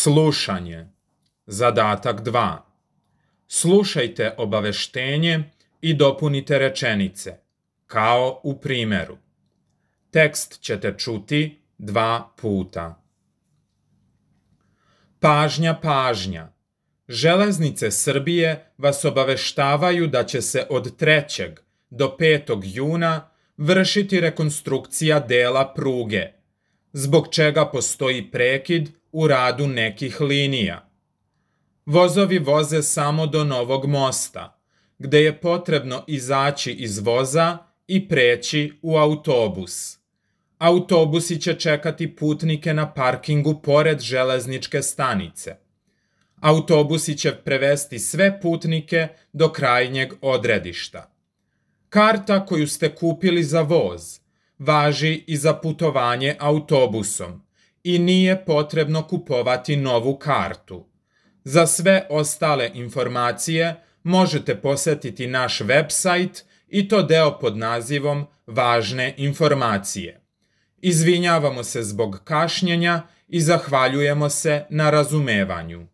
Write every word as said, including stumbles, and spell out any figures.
Slušanje. Zadatak dva. Slušajte obaveštenje i dopunite rečenice, kao u primeru. Tekst ćete čuti dva puta. Pažnja, pažnja. Železnice Srbije vas obaveštavaju da će se od trećeg do petog juna vršiti rekonstrukcija dela pruge, zbog čega postoji prekid u radu nekih linija. Vozovi voze samo do Novog mosta, gde je potrebno izaći iz voza i preći u autobus. Autobusi će čekati putnike na parkingu pored železničke stanice. Autobusi će prevesti sve putnike do krajnjeg odredišta. Karta koju ste kupili za voz važi i za putovanje autobusom i nije potrebno kupovati novu kartu. Za sve ostale informacije možete posetiti naš website i to deo pod nazivom Važne informacije. Izvinjavamo se zbog kašnjenja i zahvaljujemo se na razumevanju.